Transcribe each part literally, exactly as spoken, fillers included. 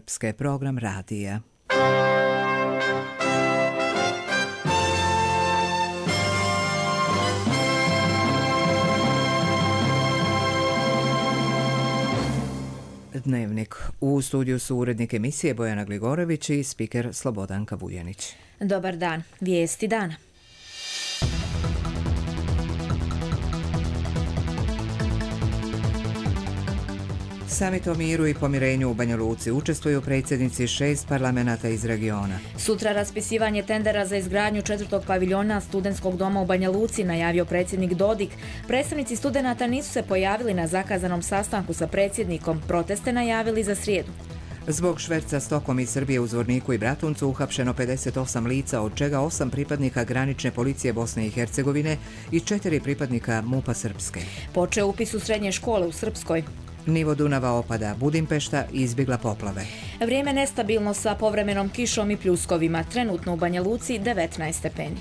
Srpske, program radija. Dnevnik. U studiju su urednik emisije Bojana Gligorović i spiker Slobodanka Vujanić. Dobar dan. Vijesti dana. Samit o miru i pomirenju u Banja Luci učestvuju predsjednici šest parlamenata iz regiona. Sutra raspisivanje tendera za izgradnju četvrtog paviljona studentskog doma u Banja Luci, najavio predsjednik Dodik. Predstavnici studenata nisu se pojavili na zakazanom sastanku sa predsjednikom. Proteste najavili za srijedu. Zbog šverca stokom iz Srbije u Zvorniku i Bratuncu uhapšeno pedeset osam lica, od čega osam pripadnika granične policije Bosne i Hercegovine i četiri pripadnika MUP-a Srpske. Počeo upis u srednje škole u Srpskoj. Nivo Dunava opada, Budimpešta izbjegla poplave. Vrijeme nestabilno sa povremenom kišom i pljuskovima. Trenutno u Banja Luci devetnaest stepeni.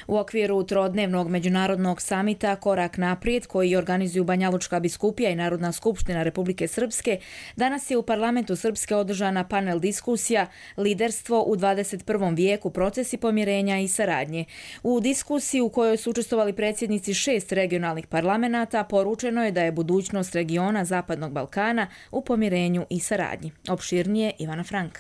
U okviru trodnevnog međunarodnog samita Korak naprijed, koji organizuju Banjalučka biskupija i Narodna skupština Republike Srpske, danas je u parlamentu Srpske održana panel diskusija Liderstvo u dvadeset prvom vijeku, procesi pomirenja i saradnje. U diskusiji u kojoj su učestvovali predsjednici šest regionalnih parlamenata, poručeno je da je budućnost regiona Zapadnog Balkana u pomirenju i saradnji. Opširnije Ivana Frank.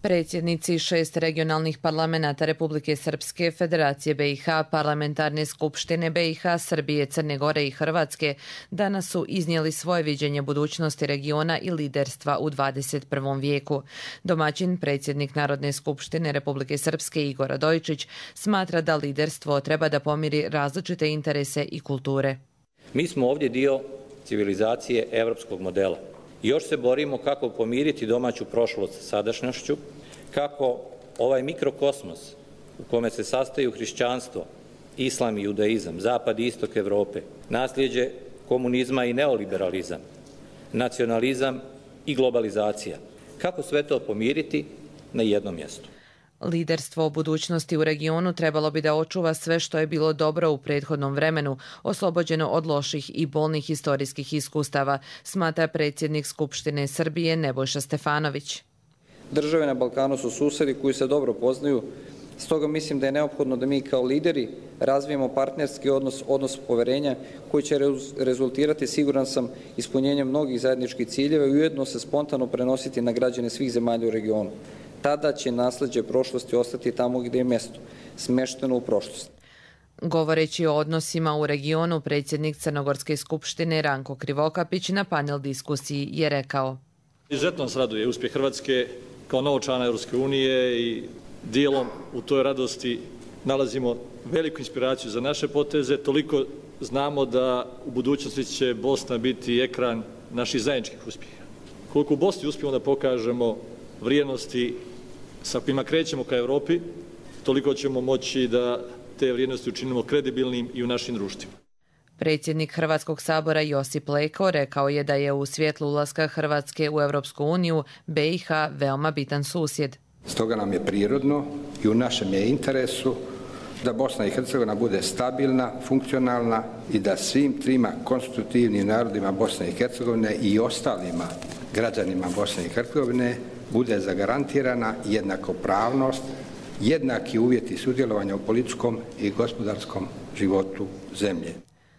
Predsjednici šest regionalnih parlamenata Republike Srpske, Federacije B i H, Parlamentarne skupštine B i H, Srbije, Crne Gore i Hrvatske danas su iznijeli svoje viđenje budućnosti regiona i liderstva u dvadeset prvom vijeku. Domaćin, predsjednik Narodne skupštine Republike Srpske Igor Radojičić, smatra da liderstvo treba da pomiri različite interese i kulture. Mi smo ovdje dio civilizacije evropskog modela. Još se borimo kako pomiriti domaću prošlost sa sadašnjošću, kako ovaj mikrokosmos u kome se sastaju hrišćanstvo, islam i judaizam, zapad i istok Evrope, nasljeđe komunizma i neoliberalizam, nacionalizam i globalizacija. Kako sve to pomiriti na jednom mjestu? Liderstvo o budućnosti u regionu trebalo bi da očuva sve što je bilo dobro u prethodnom vremenu, oslobođeno od loših i bolnih historijskih iskustava, smatra predsjednik Skupštine Srbije Nebojša Stefanović. Države na Balkanu su susjedi koji se dobro poznaju, stoga mislim da je neophodno da mi kao lideri razvijemo partnerski odnos, odnos poverenja koji će rezultirati, siguran sam, ispunjenjem mnogih zajedničkih ciljeva i ujedno se spontano prenositi na građane svih zemalja u regionu. Tada će nasleđe prošlosti ostati tamo gdje je mjesto, smešteno u prošlost. Govoreći o odnosima u regionu, predsjednik Crnogorske skupštine Ranko Krivokapić na panel diskusiji je rekao: Izuzetno nas raduje uspjeh Hrvatske kao novog člana Europske unije i dijelom u toj radosti nalazimo veliku inspiraciju za naše poteze. Toliko znamo da u budućnosti će Bosna biti ekran naših zajedničkih uspjeha. Koliko u Bosni uspijemo da pokažemo vrijednosti sa kojima krećemo ka Europi, toliko ćemo moći da te vrijednosti učinimo kredibilnim i u našim društvima. Predsjednik Hrvatskog sabora Josip Leko rekao je da je u svjetlu ulaska Hrvatske u Europsku uniju B i H veoma bitan susjed. Stoga nam je prirodno i u našem je interesu da Bosna i Hercegovina bude stabilna, funkcionalna i da svim trima konstitutivnim narodima Bosne i Hercegovine i ostalima građanima Bosne i Hercegovine bude zagarantirana jednakopravnost, jednaki uvjeti sudjelovanja u političkom i gospodarskom životu zemlje.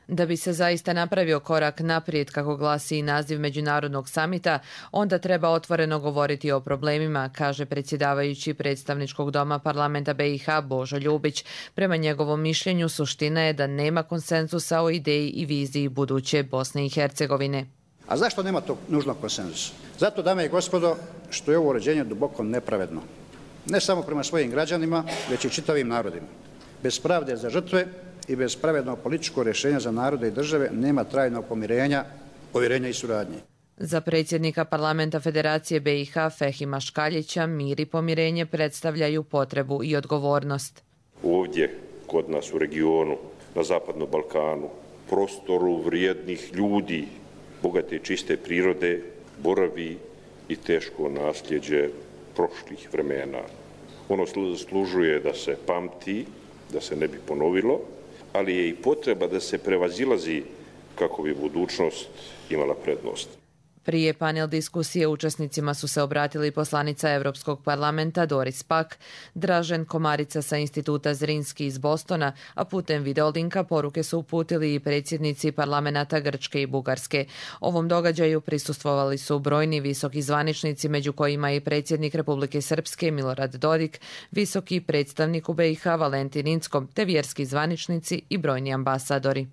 Da bi se zaista napravio korak naprijed, kako glasi i naziv međunarodnog samita, onda treba otvoreno govoriti o problemima, kaže predsjedavajući predstavničkog doma parlamenta B i H Božo Ljubić. Prema njegovom mišljenju suština je da nema konsenzusa o ideji i viziji buduće Bosne i Hercegovine. A zašto nema tog nužnog konsenzusa? Zato, dame i gospodo, što je ovo uređenje duboko nepravedno. Ne samo prema svojim građanima, već i čitavim narodima. Bez pravde za žrtve i bez pravednog političkog rješenja za narode i države nema trajnog pomirenja, povjerenja i suradnje. Za predsjednika parlamenta Federacije B i H Fehima Škaljića mir i pomirenje predstavljaju potrebu i odgovornost. Ovdje, kod nas u regionu, na Zapadnom Balkanu, prostoru vrijednih ljudi, bogate i čiste prirode, boravi i teško nasljeđe prošlih vremena. Ono služuje da se pamti, da se ne bi ponovilo, ali je i potreba da se prevazilazi kako bi budućnost imala prednost. Prije panel diskusije učesnicima su se obratili poslanica Europskog parlamenta Doris Pack, Dražen Komarica sa Instituta Zrinski iz Bostona, a putem videolinka poruke su uputili i predsjednici parlamenta Grčke i Bugarske. Ovom događaju prisustvovali su brojni visoki zvaničnici, među kojima i predsjednik Republike Srpske Milorad Dodik, visoki predstavnik u B i H Valentin Incko, te vjerski zvaničnici i brojni ambasadori.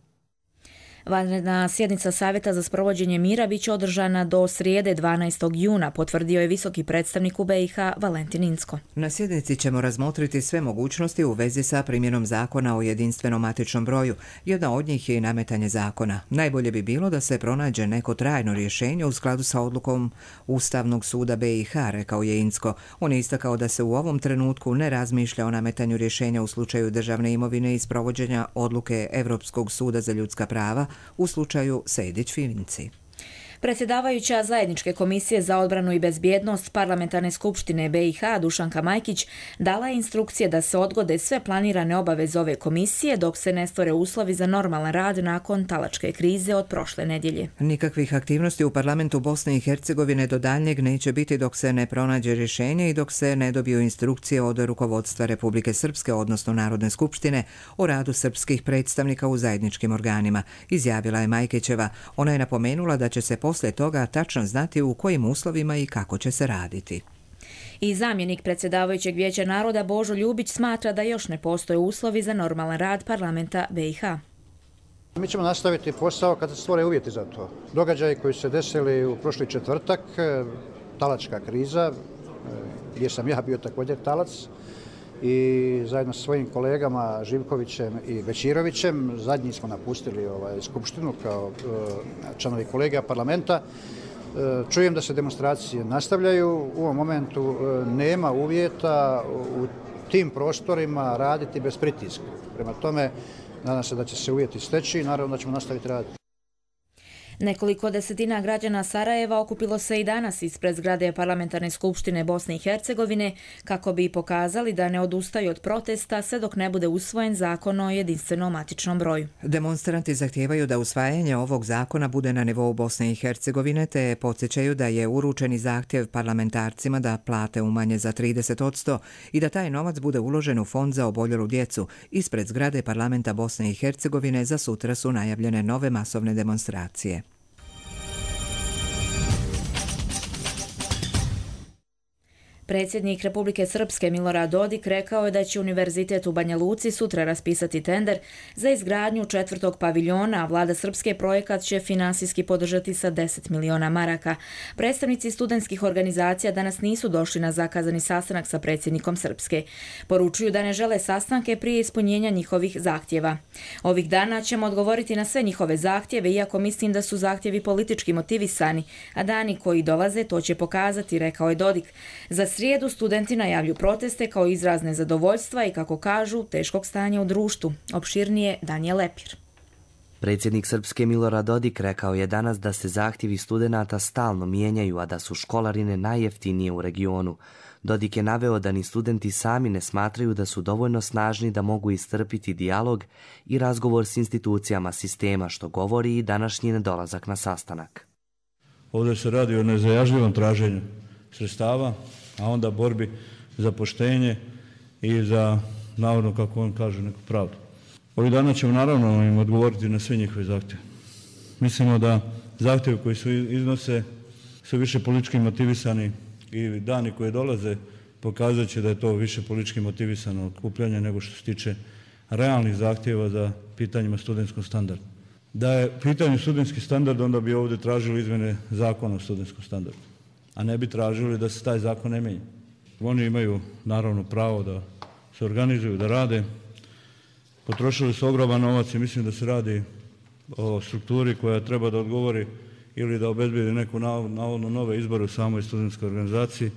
Vanredna sjednica Savjeta za sprovođenje mira bit će održana do srijede dvanaestog juna, potvrdio je visoki predstavnik u B i H Valentin Incko. Na sjednici ćemo razmotriti sve mogućnosti u vezi sa primjenom zakona o jedinstvenom matičnom broju. Jedna od njih je i nametanje zakona. Najbolje bi bilo da se pronađe neko trajno rješenje u skladu sa odlukom Ustavnog suda B i H, rekao je Incko. On je istakao da se u ovom trenutku ne razmišlja o nametanju rješenja u slučaju državne imovine i sprovođenja odluke Europskog suda za ljudska prava u slučaju Sejdić-Finci. Predsjedavajuća Zajedničke komisije za odbranu i bezbjednost Parlamentarne skupštine B i H Dušanka Majkić dala je instrukcije da se odgode sve planirane obaveze ove komisije dok se ne stvore uslovi za normalan rad nakon talačke krize od prošle nedjelje. Nikakvih aktivnosti u parlamentu Bosne i Hercegovine do daljnjeg neće biti dok se ne pronađe rješenje i dok se ne dobiju instrukcije od rukovodstva Republike Srpske, odnosno Narodne skupštine, o radu srpskih predstavnika u zajedničkim organima, izjavila je Majkićeva. Ona je napomenula da će se poslije toga tačno znati u kojim uslovima i kako će se raditi. I zamjenik predsjedavajućeg Vijeća naroda Božo Ljubić smatra da još ne postoje uslovi za normalan rad parlamenta B i H. Mi ćemo nastaviti posao kada se stvore uvjeti za to. Događaji koji su se desili u prošli četvrtak, talačka kriza, gdje sam ja bio također talac, i zajedno sa svojim kolegama Živkovićem i Bećirovićem, zadnji smo napustili ovaj, skupštinu kao e, članovi kolegija parlamenta. E, čujem da se demonstracije nastavljaju. U ovom momentu e, nema uvjeta u tim prostorima raditi bez pritiska. Prema tome, nadam se da će se uvjeti steći i naravno da ćemo nastaviti raditi. Nekoliko desetina građana Sarajeva okupilo se i danas ispred zgrade Parlamentarne skupštine Bosne i Hercegovine kako bi pokazali da ne odustaju od protesta sve dok ne bude usvojen zakon o jedinstvenom matičnom broju. Demonstranti zahtijevaju da usvajanje ovog zakona bude na nivou Bosne i Hercegovine, te podsjećaju da je uručeni zahtjev parlamentarcima da plate umanje za trideset posto i da taj novac bude uložen u fond za oboljelu djecu. Ispred zgrade Parlamenta Bosne i Hercegovine za sutra su najavljene nove masovne demonstracije. Predsjednik Republike Srpske Milorad Dodik rekao je da će Univerzitet u Banja Luci sutra raspisati tender za izgradnju četvrtog paviljona, a vlada Srpske projekat će finansijski podržati sa deset miliona maraka. Predstavnici studentskih organizacija danas nisu došli na zakazani sastanak sa predsjednikom Srpske. Poručuju da ne žele sastanke prije ispunjenja njihovih zahtjeva. Ovih dana ćemo odgovoriti na sve njihove zahtjeve, iako mislim da su zahtjevi politički motivisani, a dani koji dolaze to će pokazati, rekao je Dodik. Za srijedu studenti najavlju proteste kao izraz nezadovoljstva i, kako kažu, teškog stanja u društvu. Opširnije Danijel Lepir. Predsjednik Srpske Milorad Dodik rekao je danas da se zahtjevi studenata stalno mijenjaju, a da su školarine najjeftinije u regionu. Dodik je naveo da ni studenti sami ne smatraju da su dovoljno snažni da mogu istrpiti dijalog i razgovor s institucijama sistema, što govori i današnji nedolazak na sastanak. Ovdje se radi o nezajažljivom traženju sredstava, a onda borbi za poštenje i za, navodno, kako on kaže, neku pravdu. Ovih dana ćemo naravno im odgovoriti na sve njihove zahtjeve. Mislimo da zahtjevi koji su iznose su više politički motivisani i dani koji dolaze pokazat će da je to više politički motivisano okupljanje nego što se tiče realnih zahtjeva za pitanjima studentskog standarda. Da je pitanje studentski standard, onda bi ovdje tražili izmjene zakona o studentskom standardu, a ne bi tražili da se taj zakon ne mijenja. Oni imaju naravno pravo da se organizuju, da rade. Potrošili su ogroman novac i mislim da se radi o strukturi koja treba da odgovori ili da obezbedi neku navodno nove izbore u samoj studentskoj organizaciji.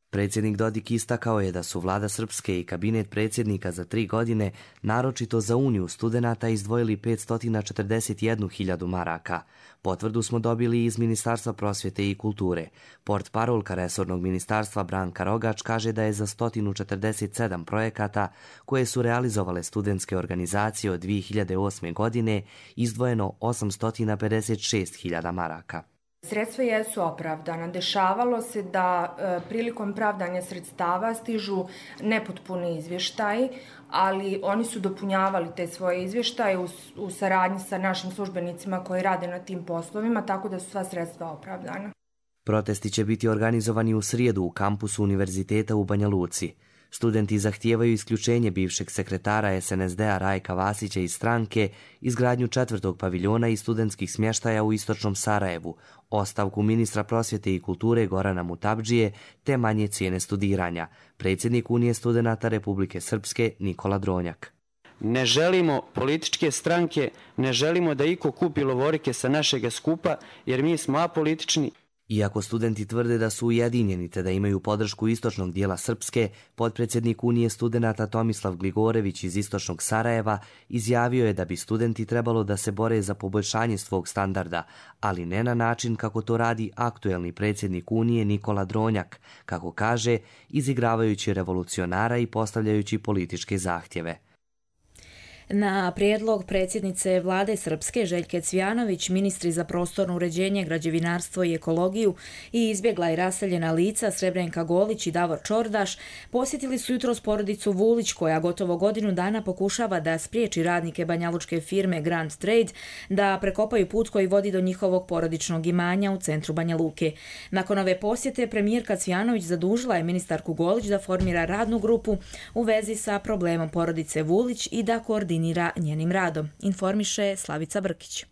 Predsjednik Dodik istakao je da su vlada Srpske i kabinet predsjednika za tri godine naročito za Uniju studenata izdvojili petsto četrdeset jednu hiljadu maraka. Potvrdu smo dobili iz Ministarstva prosvjete i kulture. Portparolka resornog ministarstva Branka Rogač kaže da je za sto četrdeset sedam projekata koje su realizovale studentske organizacije od dvije hiljade osme. godine izdvojeno osamsto pedeset šest hiljada maraka. Sredstva jesu opravdana. Dešavalo se da e, prilikom pravdanja sredstava stižu nepotpuni izvještaji, ali oni su dopunjavali te svoje izvještaje u, u saradnji sa našim službenicima koji rade na tim poslovima, tako da su sva sredstva opravdana. Protesti će biti organizovani u srijedu u kampusu Univerziteta u Banja Luci. Studenti zahtijevaju isključenje bivšeg sekretara es en es de-a Rajka Vasića iz stranke, izgradnju četvrtog paviljona i studentskih smještaja u istočnom Sarajevu, ostavku ministra prosvjete i kulture Gorana Mutabdžije te manje cijene studiranja. Predsjednik Unije studenata Republike Srpske Nikola Dronjak. Ne želimo političke stranke, ne želimo da iko kupi lovorike sa našega skupa, jer mi smo apolitični. Iako studenti tvrde da su ujedinjeni te da imaju podršku istočnog dijela Srpske, potpredsjednik Unije studenata Tomislav Gligorević iz istočnog Sarajeva izjavio je da bi studenti trebalo da se bore za poboljšanje svog standarda, ali ne na način kako to radi aktuelni predsjednik Unije Nikola Dronjak, kako kaže, izigravajući revolucionara i postavljajući političke zahtjeve. Na prijedlog predsjednice vlade Srpske Željke Cvjanović, ministri za prostorno uređenje, građevinarstvo i ekologiju i izbjegla i raseljena lica Srebrenka Golić i Davor Čordaš posjetili su jutros porodicu Vulić koja gotovo godinu dana pokušava da spriječi radnike banjalučke firme Grand Trade da prekopaju put koji vodi do njihovog porodičnog imanja u centru Banja Luke. Nakon ove posjete premijerka Cvjanović zadužila je ministarku Golić da formira radnu grupu u vezi sa problemom porodice Vulić i da koordinira njenim radom, informiše Slavica Brkić.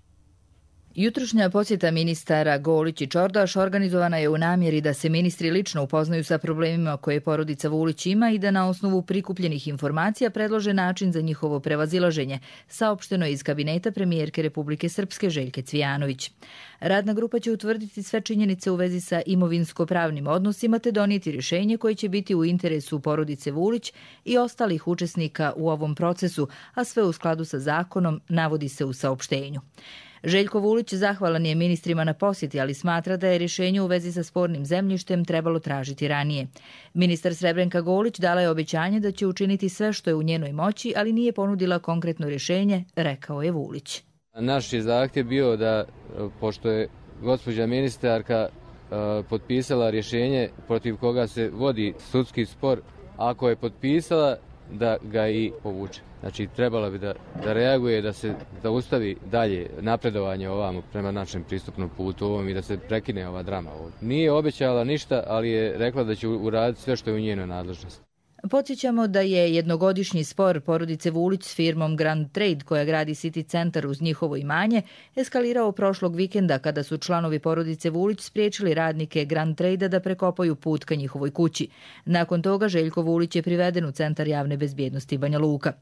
Jutrošnja posjeta ministara Golić i Čordaš organizovana je u namjeri da se ministri lično upoznaju sa problemima koje porodica Vulić ima i da na osnovu prikupljenih informacija predlože način za njihovo prevazilaženje, saopšteno je iz kabineta premijerke Republike Srpske Željke Cvjanović. Radna grupa će utvrditi sve činjenice u vezi sa imovinsko-pravnim odnosima te donijeti rješenje koje će biti u interesu porodice Vulić i ostalih učesnika u ovom procesu, a sve u skladu sa zakonom, navodi se u saopštenju. Željko Vulić zahvalan je ministrima na posjeti, ali smatra da je rješenje u vezi sa spornim zemljištem trebalo tražiti ranije. Ministar Srebrenka Golić dala je obećanje da će učiniti sve što je u njenoj moći, ali nije ponudila konkretno rješenje, rekao je Vulić. Naš je zahtjev bio da, pošto je gospođa ministarka potpisala rješenje protiv koga se vodi sudski spor, ako je potpisala, da ga i povuče. Znači, trebala bi da, da reaguje, da se zaustavi dalje napredovanje ovamo prema našem pristupnom putu ovom i da se prekine ova drama ovdje. Nije obećala ništa, ali je rekla da će uraditi sve što je u njenoj nadležnosti. Podsjećamo da je jednogodišnji spor porodice Vulić s firmom Grand Trade koja gradi City Centar uz njihovo imanje eskalirao prošlog vikenda kada su članovi porodice Vulić spriječili radnike Grand Trade da prekopaju put ka njihovoj kući. Nakon toga Željko Vulić je priveden u Centar javne bezbjednosti Banja Luka.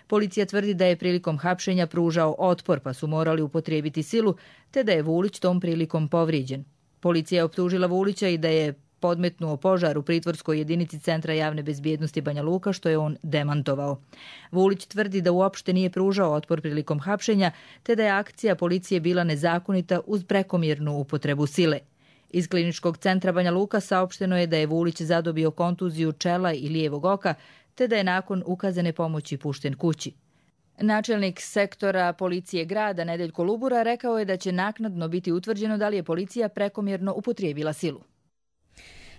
Policija tvrdi da je prilikom hapšenja pružao otpor pa su morali upotrijebiti silu te da je Vulić tom prilikom povrijeđen. Policija je optužila Vulića i da je podmetnuo požar u pritvorskoj jedinici Centra javne bezbjednosti Banja Luka, što je on demantovao. Vulić tvrdi da uopšte nije pružao otpor prilikom hapšenja, te da je akcija policije bila nezakonita uz prekomjernu upotrebu sile. Iz kliničkog centra Banja Luka saopšteno je da je Vulić zadobio kontuziju čela i lijevog oka, te da je nakon ukazane pomoći pušten kući. Načelnik sektora policije grada Nedeljko Lubura rekao je da će naknadno biti utvrđeno da li je policija prekomjerno upotrijebila silu.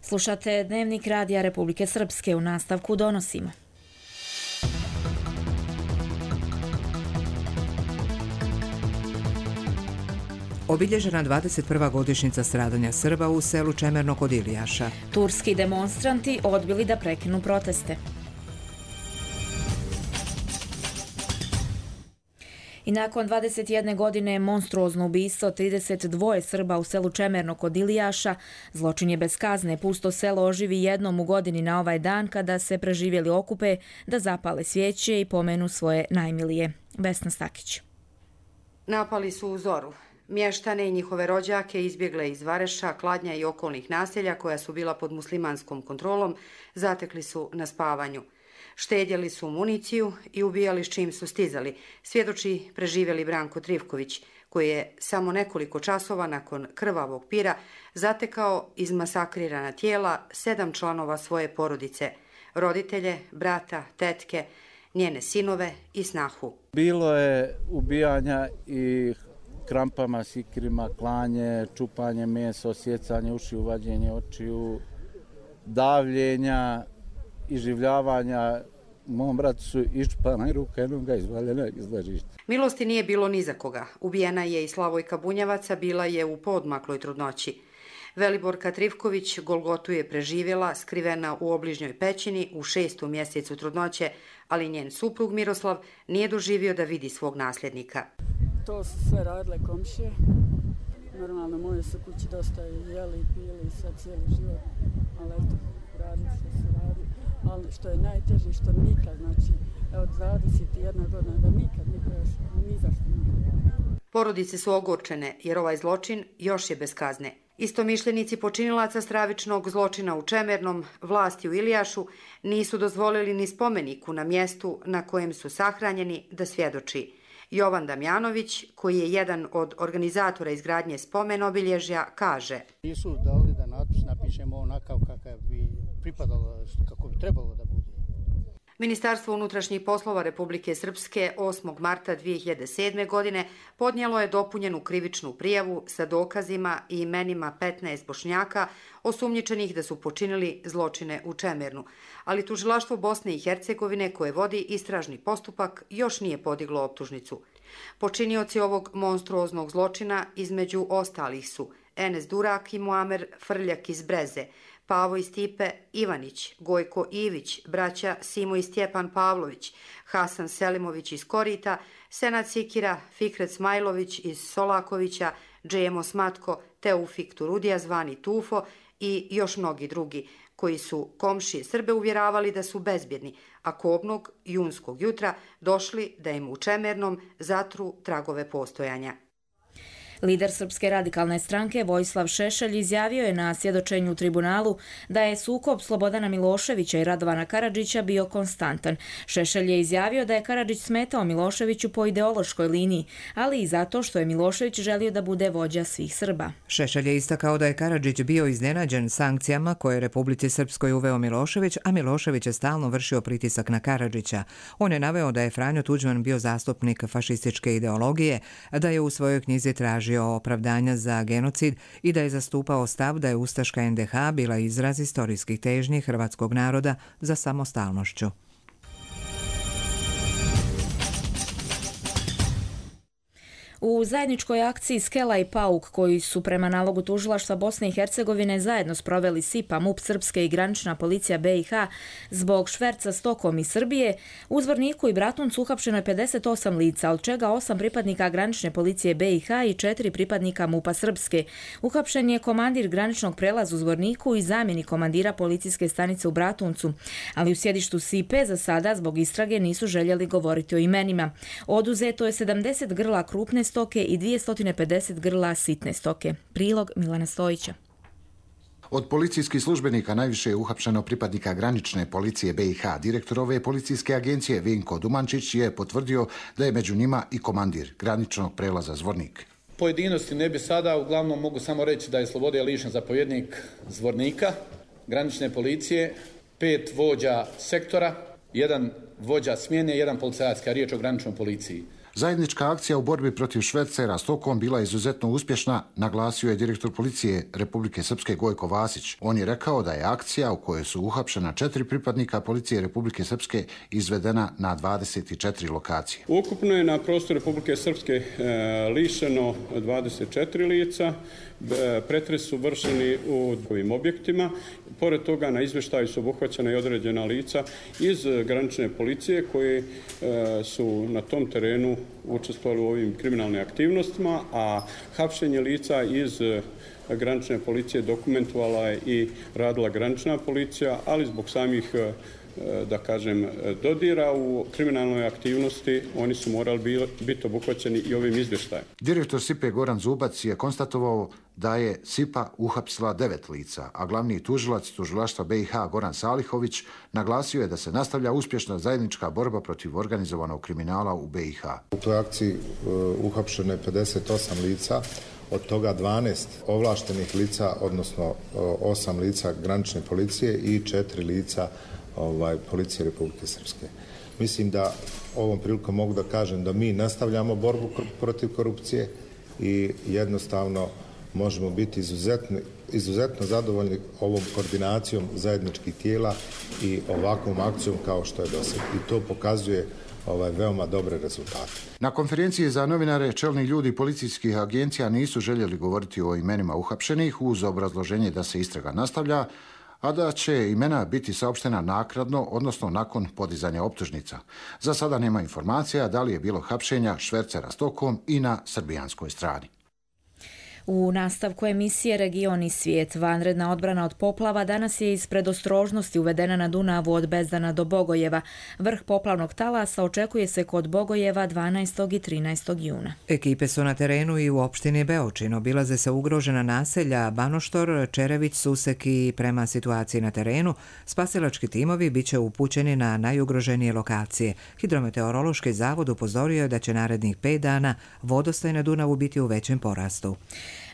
Slušate Dnevnik Radija Republike Srpske, u nastavku donosimo. Obilježena dvadeset prva godišnjica stradanja Srba u selu Čemerno kod Ilijaša. Turski demonstranti odbili da prekinu proteste. I nakon dvadeset jedne godine monstruozno ubistvo trideset dva Srba u selu Čemerno kod Ilijaša, zločin je bez kazne, pusto selo oživi jednom u godini na ovaj dan kada se preživjeli okupe da zapale svijeće i pomenu svoje najmilije. Vesna Stakić. Napali su u zoru. Mještane i njihove rođake izbjegle iz Vareša, Kladnja i okolnih naselja koja su bila pod muslimanskom kontrolom, zatekli su na spavanju. Štedjeli su municiju i ubijali s čim su stizali, svjedoči preživjeli Branko Trivković, koji je samo nekoliko časova nakon krvavog pira zatekao izmasakrirana tijela sedam članova svoje porodice, roditelje, brata, tetke, njene sinove i snahu. Bilo je ubijanja i krampama, sikirima, klanje, čupanje mesa, osjecanje ušiju, vađenje očiju, davljenja, iživljavanja. Mom bratu su iščupana i ruka jednom ga izvaljena iz ležišta. Milosti nije bilo ni za koga. Ubijena je i Slavojka Bunjevaca, bila je u poodmakloj trudnoći. Veliborka Trivković Golgotu je preživjela, skrivena u obližnjoj pećini u šestom mjesecu trudnoće, ali njen suprug Miroslav nije doživio da vidi svog nasljednika. To su sve radile komšije. Normalno, moje su kući dosta jeli i pili i sad cijeli život, ali eto, radi što se radi. Ali što je najteže, što nikad, znači, od dvadeset jedna godina, da nikad niko još ni zašto nikad. Porodice su ogorčene jer ovaj zločin još je bez kazne. Istomišljenici počinilaca stravičnog zločina u Čemernom, vlasti u Ilijašu, nisu dozvolili ni spomeniku na mjestu na kojem su sahranjeni da svjedoči. Jovan Damjanović, koji je jedan od organizatora izgradnje spomen obilježja, kaže: Nisu dali da natpis napišemo onakav kakav bi pripadalo, kako bi trebalo da bude. Ministarstvo unutrašnjih poslova Republike Srpske osmog marta dvije hiljade sedme. godine podnijelo je dopunjenu krivičnu prijavu sa dokazima i imenima petnaest Bošnjaka osumnjičenih da su počinili zločine u Čemernu, ali tužilaštvo Bosne i Hercegovine koje vodi istražni postupak još nije podiglo optužnicu. Počinioci ovog monstruoznog zločina između ostalih su Enes Durak i Muamer Frljak iz Breze, Pavo i Stipe Ivanić, Gojko Ivić, braća Simo i Stjepan Pavlović, Hasan Selimović iz Korita, Senad Sikira, Fikret Smajlović iz Solakovića, Džemo Smatko, Teufik Turudija zvani Tufo i još mnogi drugi, koji su komšije Srbe uvjeravali da su bezbjedni, a kobnog junskog jutra došli da im u Čemernom zatru tragove postojanja. Lider Srpske radikalne stranke Vojislav Šešelj izjavio je na svjedočenju u tribunalu da je sukob Slobodana Miloševića i Radovana Karadžića bio konstantan. Šešelj je izjavio da je Karadžić smetao Miloševiću po ideološkoj liniji, ali i zato što je Milošević želio da bude vođa svih Srba. Šešelj je istakao da je Karadžić bio iznenađen sankcijama koje je Republici Srpskoj uveo Milošević, a Milošević je stalno vršio pritisak na Karadžića. On je naveo da je Franjo Tuđman bio zastupnik fašističke ideologije, da je u svojoj knjizi tražio opravdanja za genocid i da je zastupao stav da je ustaška en de ha bila izraz istorijskih težnji hrvatskog naroda za samostalnošću. U zajedničkoj akciji Skela i Pauk, koji su prema nalogu tužilaštva Bosne i Hercegovine zajedno sproveli S I P A, MUP Srpske i granična policija be i ha zbog šverca stokom iz Srbije, u Zvorniku i Bratuncu uhapšeno je pedeset osam lica, od čega osam pripadnika granične policije be i ha i četiri pripadnika MUP-a Srpske. Uhapšen je komandir graničnog prelaza u Zvorniku i zamjenik komandira policijske stanice u Bratuncu, ali u sjedištu S I P E za sada zbog istrage nisu željeli govoriti o imenima. Oduzeto je sedamdeset grla krupne stoke i dvjesto pedeset grla sitne stoke. Prilog Milana Stojića. Od policijskih službenika najviše je uhapšeno pripadnika granične policije be i ha. Direktor ove policijske agencije Vinko Dumančić je potvrdio da je među njima i komandir graničnog prelaza Zvornik. Pojedinosti ne bi sada, uglavnom mogu samo reći da je slobode lišen zapovjednik Zvornika, granične policije, pet vođa sektora, jedan vođa smjene, jedan policajac, kad je riječ o graničnoj policiji. Zajednička akcija u borbi protiv švercera stokom bila izuzetno uspješna, naglasio je direktor policije Republike Srpske Gojko Vasić. On je rekao da je akcija u kojoj su uhapšena četiri pripadnika policije Republike Srpske izvedena na dvadeset četiri lokacije. Ukupno je na prostoru Republike Srpske e, lišeno dvadeset četiri lica, e, pretres su vršeni u ovim objektima. Pored toga na izvještaju su obuhvaćena i određena lica iz granične policije koje e, su na tom terenu učestvovali u ovim kriminalnim aktivnostima, a hapšenje lica iz granične policije dokumentovala je i radila granična policija, ali zbog samih da kažem, dodira u kriminalnoj aktivnosti, oni su morali biti obuhvaćeni i ovim izvještajem. Direktor S I P E Goran Zubac je konstatovao da je S I P A uhapsila devet lica, a glavni tužilac tužilaštva B i H Goran Salihović naglasio je da se nastavlja uspješna zajednička borba protiv organizovanog kriminala u B i H. U toj akciji uh, uhapšeno je pedeset osam lica, od toga dvanaest ovlaštenih lica, odnosno uh, osam lica granične policije i četiri lica ovaj, policije Republike Srpske. Mislim da ovom prilikom mogu da kažem da mi nastavljamo borbu protiv korupcije i jednostavno možemo biti izuzetno, izuzetno zadovoljni ovom koordinacijom zajedničkih tijela i ovakvom akcijom kao što je do sada. I to pokazuje ovaj, veoma dobre rezultate. Na konferenciji za novinare čelni ljudi policijskih agencija nisu željeli govoriti o imenima uhapšenih uz obrazloženje da se istraga nastavlja, a da će imena biti saopštena naknadno, odnosno nakon podizanja optužnica. Za sada nema informacija da li je bilo hapšenja švercera stokom i na srbijanskoj strani. U nastavku emisije Region i svijet, vanredna odbrana od poplava danas je iz predostrožnosti uvedena na Dunavu od Bezdana do Bogojeva. Vrh poplavnog talasa očekuje se kod Bogojeva dvanaestog i trinaestog juna. Ekipe su na terenu i u opštini Beočin. Obilaze se ugrožena naselja Banoštor, Čerević, Susek i prema situaciji na terenu spasilački timovi biće upućeni na najugroženije lokacije. Hidrometeorološki zavod upozorio je da će narednih pet dana vodostaj na Dunavu biti u većem porastu.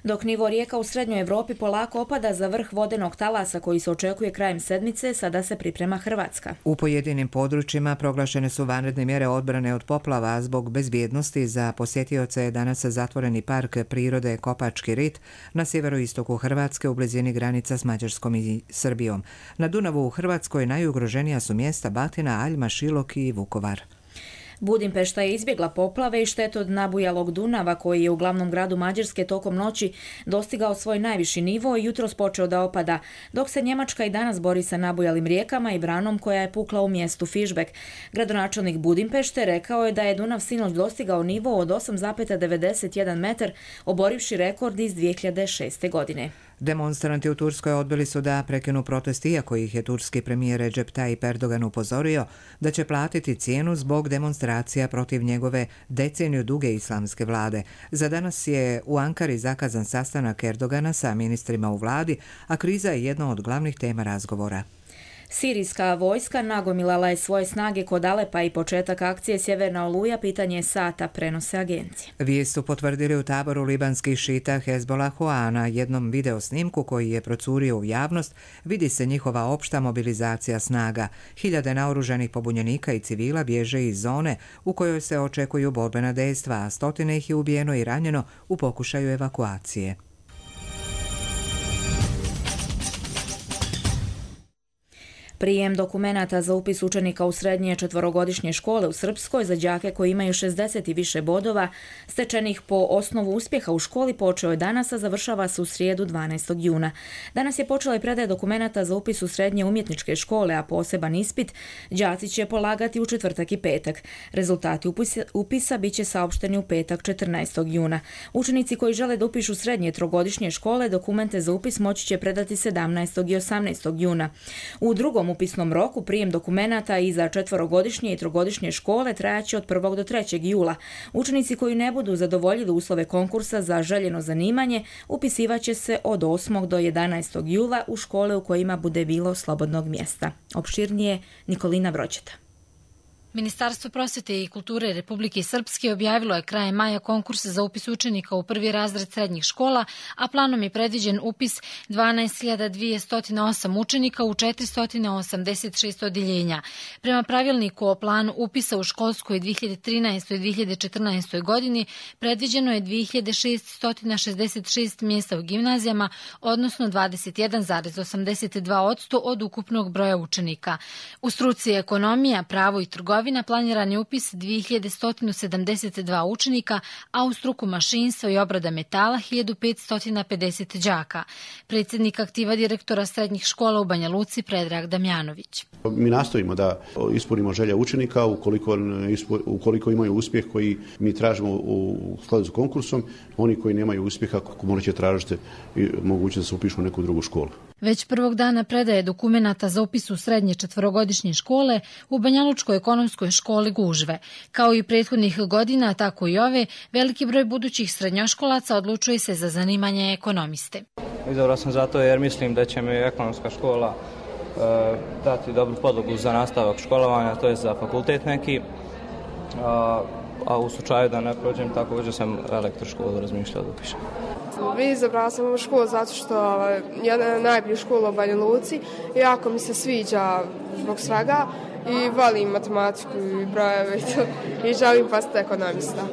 Dok nivo rijeka u Srednjoj Evropi polako opada za vrh vodenog talasa koji se očekuje krajem sedmice, sada se priprema Hrvatska. U pojedinim područjima proglašene su vanredne mjere odbrane od poplava zbog bezbjednosti. Za posjetioce je danas zatvoreni park prirode Kopački rit na sjeveroistoku Hrvatske u blizini granica s Mađarskom i Srbijom. Na Dunavu u Hrvatskoj najugroženija su mjesta Batina, Aljma, Šilok i Vukovar. Budimpešta je izbjegla poplave i štetu od nabujalog Dunava koji je u glavnom gradu Mađarske tokom noći dostigao svoj najviši nivo i jutros počeo da opada, dok se Njemačka i danas bori sa nabujalim rijekama i branom koja je pukla u mjestu Fišbek. Gradonačelnik Budimpešte rekao je da je Dunav sinoć dostigao nivo od osam zarez devedeset jedan metar, oborivši rekord iz dvije hiljade šeste. godine. Demonstranti u Turskoj odbili su da prekinu protest, iako ih je turski premijer Recep Tayyip Erdogan upozorio da će platiti cijenu zbog demonstracija protiv njegove deceniju duge islamske vlade. Za danas je u Ankari zakazan sastanak Erdogana sa ministrima u vladi, a kriza je jedna od glavnih tema razgovora. Sirijska vojska nagomilala je svoje snage kod Alepa i početak akcije Sjeverna oluja pitanje sata, prenose agencije. Vijest su potvrdili u taboru libanskih šita Hezbollahu, a na jednom video snimku koji je procurio u javnost vidi se njihova opšta mobilizacija snaga. Hiljade naoružanih pobunjenika i civila bježe iz zone u kojoj se očekuju borbena dejstva, a stotine ih je ubijeno i ranjeno u pokušaju evakuacije. Prijem dokumenata za upis učenika u srednje četvorogodišnje škole u Srpskoj za đake koji imaju šezdeset i više bodova stečenih po osnovu uspjeha u školi počeo je danas, a završava se u srijedu dvanaestog juna. Danas je počela i predaja dokumenata za upis u srednje umjetničke škole, a poseban ispit đaci će polagati u četvrtak i petak. Rezultati upisa, upisa bit će saopšteni u petak četrnaestog juna. Učenici koji žele da upišu srednje trogodišnje škole dokumente za upis moći će predati sedamnaestog i osamnaestog juna. U drugom upisnom roku prijem dokumenata i za četvorogodišnje i trogodišnje škole trajaće od prvog do trećeg jula. Učenici koji ne budu zadovoljili uslove konkursa za željeno zanimanje upisivaće se od osmog do jedanaestog jula u škole u kojima bude bilo slobodnog mjesta. Opširnije Nikolina Vroćeta. Ministarstvo prosvete i kulture Republike Srpske objavilo je krajem maja konkurs za upis učenika u prvi razred srednjih škola, a planom je predviđen upis dvanaest hiljada dvjesto osam učenika u četiristo osamdeset šest odjeljenja. Prema pravilniku o planu upisa u školskoj dvije hiljade trinaestoj i dvije hiljade četrnaestoj. godini predviđeno je dvije hiljade šeststo šezdeset šest mjesta u gimnazijama, odnosno dvadeset jedan zarez osamdeset dva posto od ukupnog broja učenika. U struci ekonomija, pravo i trgovina trgovina planiran je upis dvije hiljade sto sedamdeset dva učenika, a u struku mašinstva i obrada metala hiljadu petsto pedeset đaka. Predsjednik aktiva direktora srednjih škola u Banja Luci Predrag Damjanović. Mi nastojimo da ispunimo želje učenika ukoliko, ukoliko imaju uspjeh koji mi tražimo u skladu s konkursom, oni koji nemaju uspjeha morat će tražiti moguće da se upišu u neku drugu školu. Već prvog dana predaje dokumenata za upis u srednje četverogodišnje škole u Banjalučkoj ekonomskoj školi gužve. Kao i prethodnih godina, tako i ove, veliki broj budućih srednjoškolaca odlučuje se za zanimanje ekonomiste. Izabrao sam zato jer mislim da će mi ekonomska škola e, dati dobru podlogu za nastavak školovanja, to je za fakultet neki, a, a u slučaju da ne prođem, također sam elektroškolu razmišljao da upišem. Izabrala sam ovu školu zato što je jedna najbolja škola u Banja Luci i jako mi se sviđa zbog svega i volim matematiku i brojeve i, to, i želim postati ekonomista.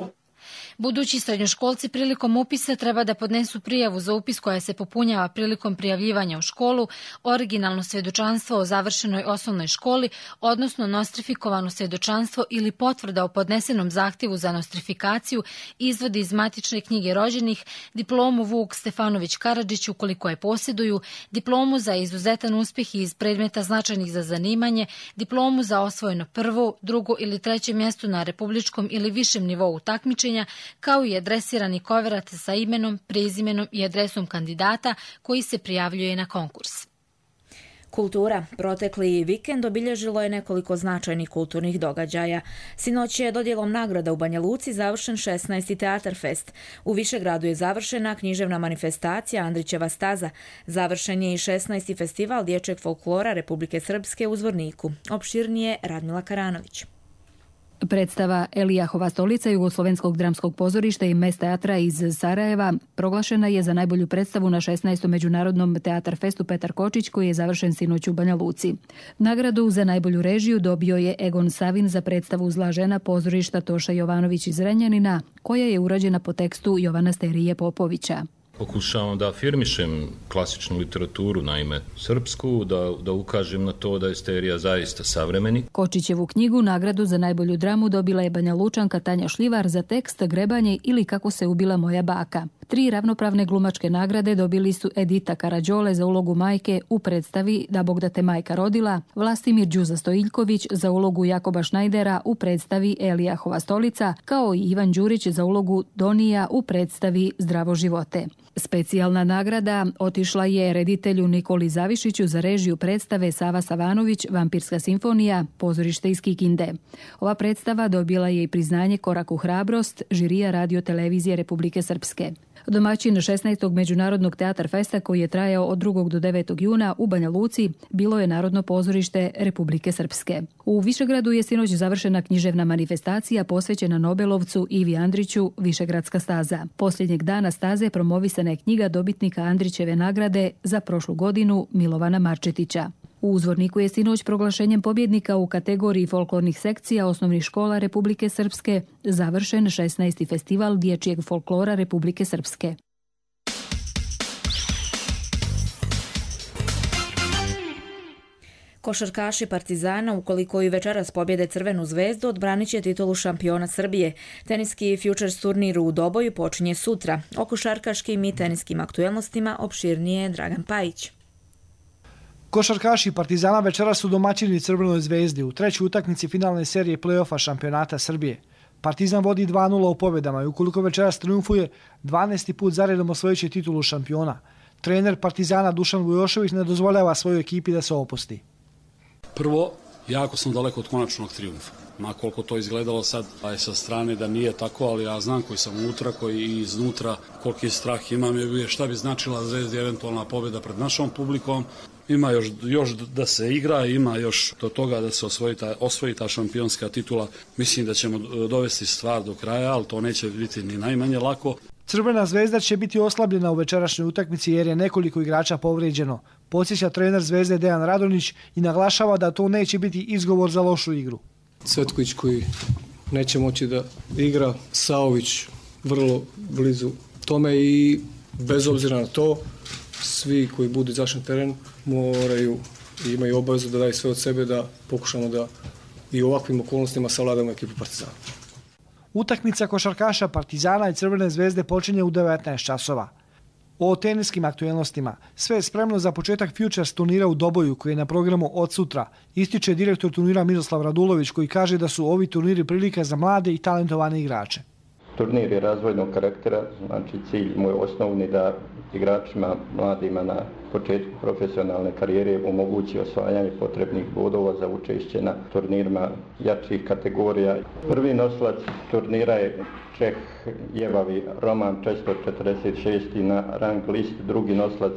Budući srednjoškolci prilikom upisa treba da podnesu prijavu za upis koja se popunjava prilikom prijavljivanja u školu, originalno svjedočanstvo o završenoj osnovnoj školi, odnosno nostrifikovano svjedočanstvo ili potvrda o podnesenom zahtjevu za nostrifikaciju, izvodi iz matične knjige rođenih, diplomu Vuk Stefanović Karadžić ukoliko je posjeduju, diplomu za izuzetan uspjeh iz predmeta značajnih za zanimanje, diplomu za osvojeno prvo, drugo ili treće mjesto na republičkom ili višem nivou takmičenja, kao i adresirani koverat sa imenom, prezimenom i adresom kandidata koji se prijavljuje na konkurs. Kultura. Protekli vikend obilježilo je nekoliko značajnih kulturnih događaja. Sinoć je dodjelom nagrada u Banja Luci završen šesnaesti Teatar Fest. U Višegradu je završena književna manifestacija Andrićeva staza. Završen je i šesnaesti Festival dječjeg folklora Republike Srpske u Zvorniku. Opširnije Radmila Karanović. Predstava Elijahova stolica Jugoslovenskog dramskog pozorišta i Mes teatra iz Sarajeva proglašena je za najbolju predstavu na šesnaestom međunarodnom Teatar Festu Petar Kočić koji je završen sinoć u Banja Luci. Nagradu za najbolju režiju dobio je Egon Savin za predstavu Zla žena pozorišta Toša Jovanović iz Renjanina koja je urađena po tekstu Jovana Sterije Popovića. Pokušavam da afirmišem klasičnu literaturu, naime srpsku, da, da ukažem na to da je Sterija zaista savremeni. Kočićevu knjigu nagradu za najbolju dramu dobila je Banja Lučanka Tanja Šljivar za tekst Grebanje ili Kako se ubila moja baka. Tri ravnopravne glumačke nagrade dobili su Edita Karađole za ulogu majke u predstavi Da Bog da te majka rodila, Vlastimir Đuza Stojiljković za ulogu Jakoba Šnajdera u predstavi Elijahova stolica, kao i Ivan Đurić za ulogu Donija u predstavi Zdravo živote. Specijalna nagrada otišla je reditelju Nikoli Zavišiću za režiju predstave Sava Savanović, Vampirska simfonija, pozorište iz Kikinde. Ova predstava dobila je i priznanje Korak u hrabrost, žirija Radio televizije Republike Srpske. Domaćin šesnaestog Međunarodnog Teatar Festa koji je trajao od drugog do devetog juna u Banja Luci bilo je Narodno pozorište Republike Srpske. U Višegradu je sinoć završena književna manifestacija posvećena Nobelovcu Ivi Andriću Višegradska staza. Posljednjeg dana staze promovisana je knjiga dobitnika Andrićeve nagrade za prošlu godinu Milovana Marčetića. U Zvorniku je sinoć proglašenjem pobjednika u kategoriji folklornih sekcija osnovnih škola Republike Srpske završen šesnaesti Festival dječjeg folklora Republike Srpske. Košarkaši Partizana, ukoliko i večeras pobjede Crvenu zvezdu, odbranit će titulu šampiona Srbije. Teniski Futures turnir u Doboju počinje sutra. O košarkaškim i teniskim aktuelnostima opširnije Dragan Pajić. Košarkaši Partizana večeras su domaćini Crvenoj zvezdi u trećoj utakmici finalne serije play-offa šampionata Srbije. Partizan vodi dva nula u pobjedama i ukoliko večeras triumfuje, dvanaesti put zaredom osvojit će titulu šampiona. Trener Partizana Dušan Vujošević ne dozvoljava svojoj ekipi da se opusti. Prvo, jako sam daleko od konačnog triumfa. Ma koliko to izgledalo sad, a je sa strane da nije tako, ali ja znam koji sam unutra, koji i iznutra, koliki strah imam, je šta bi značila Zvezdi eventualna pobjeda pred našom publikom. Ima još, još da se igra, ima još do toga da se osvoji ta, osvoji ta šampionska titula. Mislim da ćemo dovesti stvar do kraja, ali to neće biti ni najmanje lako. Crvena zvezda će biti oslabljena u večerašnjoj utakmici jer je nekoliko igrača povrijeđeno. Podsjeća trener Zvezde Dejan Radonjić i naglašava da to neće biti izgovor za lošu igru. Cvetković koji neće moći da igra, Saović vrlo blizu tome i bez obzira na to, svi koji budu izašli na teren moraju i imaju obavezu da daju sve od sebe da pokušamo da i u ovakvim okolnostima savladamo ekipu Partizana. Utakmica košarkaša Partizana i Crvene zvezde počinje u devetnaest časova. O teniskim aktuelnostima sve je spremno za početak Futures turnira u Doboju koji je na programu od sutra, ističe direktor turnira Miroslav Radulović koji kaže da su ovi turniri prilika za mlade i talentovane igrače. Turnir je razvojnog karaktera, znači cilj moj osnovni da igračima mladima na početku profesionalne karijere omogući osvajanje potrebnih bodova za učešće na turnirima jačih kategorija. Prvi nosilac turnira je Čeh Jevavi Roman četiristo četrdeset šesti na rang list, drugi nosilac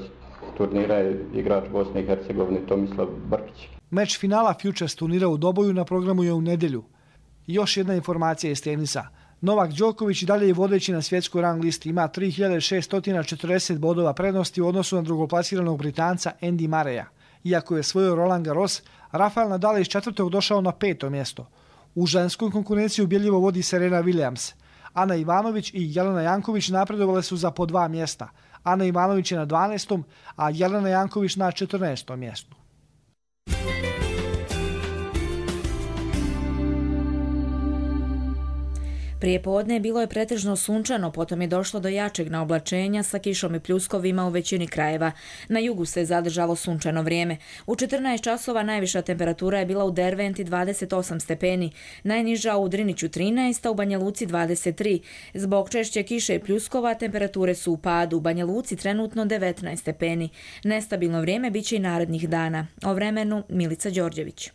turnira je igrač Bosne i Hercegovine Tomislav Brkić. Meč finala Futures turnira u Doboju na programu je u nedjelju. Još jedna informacija iz tenisa. Novak Đoković i dalje je vodeći na svjetskoj rang listi, ima tri hiljade šesto četrdeset bodova prednosti u odnosu na drugoplasiranog Britanca Andy Murraya. Iako je svojio Roland Garros, Rafael Nadal iz četvrtog došao na peto mjesto. U ženskoj konkurenciji ubjedljivo vodi Serena Williams. Ana Ivanović i Jelena Janković napredovale su za po dva mjesta. Ana Ivanović je na dvanaestom, a Jelena Janković na četrnaestom mjestu. Prije podne bilo je pretežno sunčano, potom je došlo do jačeg naoblačenja sa kišom i pljuskovima u većini krajeva. Na jugu se zadržalo sunčano vrijeme. U četrnaest časova najviša temperatura je bila u Derventi dvadeset osam stepeni, najniža u Driniću trinaest, a u Banja Luci dvadeset tri. Zbog češće kiše i pljuskova temperature su u padu. U Banja Luci trenutno devetnaest stepeni. Nestabilno vrijeme biće i narednih dana. O vremenu Milica Đorđević.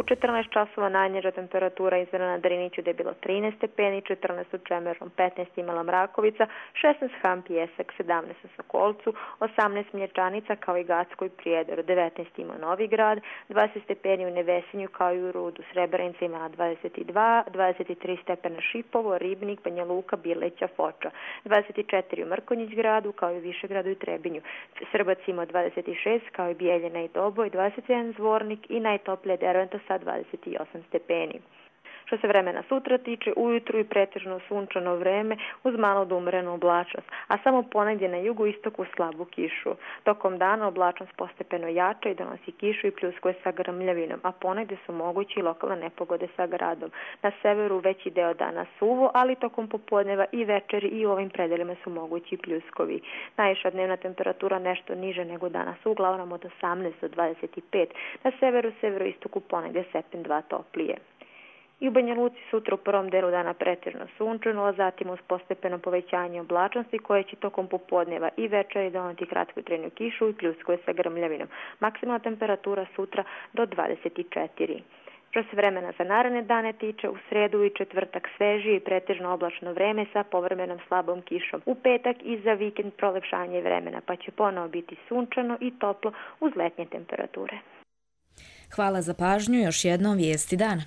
U četrnaest časova najniža temperatura izmjerena na Driniću gdje je bilo trinaest stepeni, četrnaest u Čemerom, petnaest imala Mrakovica, šesnaest Ham Pijesak, sedamnaest u Sokolcu, osamnaest Mlječanica kao i Gacko i Prijedoru, devetnaest ima Novigrad, dvadeset stepeni u Nevesinju kao i u Rudu, Srebrenica imala dvadeset dva, dvadeset tri stepena Šipovo, Ribnik, Banja Luka, Bileća, Foča, dvadeset četiri u Mrkonjić gradu kao i u Višegradu i Trebinju, Srbac ima dvadeset šest kao i Bijeljina i Doboj, dvadeset jedan Zvornik i najtoplije Derventa sa dvadeset osam stepeni. Što se vremena sutra tiče, ujutru i pretežno sunčano vreme uz malo da umrenu oblačnost, a samo ponegdje na jugu istoku slabu kišu. Tokom dana oblačnost postepeno jača i donosi kišu i pljuskove sa grmljavinom, a ponegdje su mogući i lokalne nepogode sa gradom. Na severu veći deo dana suvo, ali tokom popodneva i večeri i u ovim predelima su mogući pljuskovi. Najviša dnevna temperatura nešto niže nego danas, uglavnom od osamnaest do dvadeset pet, na severu, severoistoku ponegdje stepen dva toplije. I u Banja Luci sutra u prvom delu dana pretežno sunčano, a zatim uz postepeno povećanje oblačnosti koje će tokom popodneva i večeri doneti kratkotrajnu kišu i pljuskove sa grmljavinom. Maksimalna temperatura sutra do dvadeset četiri. Što se vremena za naredne dane tiče, u sredu i četvrtak svežije i pretežno oblačno vreme sa povremenom slabom kišom. U petak i za vikend prolepšanje vremena, pa će ponovo biti sunčano i toplo uz letnje temperature. Hvala za pažnju, još jednom vijesti dana.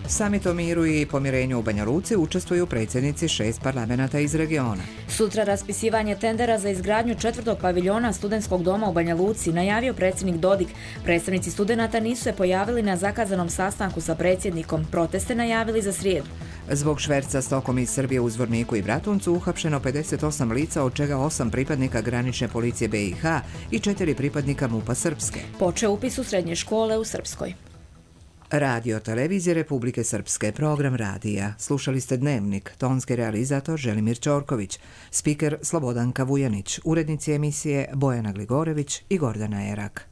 Samit o miru i pomirenju u Banja Luci učestvuju predsjednici šest parlamenata iz regiona. Sutra raspisivanje tendera za izgradnju četvrtog paviljona studentskog doma u Banja Luci najavio predsjednik Dodik. Predstavnici studenata nisu se pojavili na zakazanom sastanku sa predsjednikom. Proteste najavili za srijedu. Zbog šverca stokom iz Srbije u Zvorniku i Bratuncu uhapšeno pedeset osam lica, od čega osam pripadnika granične policije B i H i četiri pripadnika MUP-a Srpske. Počeo upis u srednje škole u Srpskoj. Radio Televizije Republike Srpske, program radija. Slušali ste Dnevnik, tonski realizator Želimir Ćorković, spiker Slobodanka Vujanić, urednici emisije Bojana Gligorević i Gordana Erak.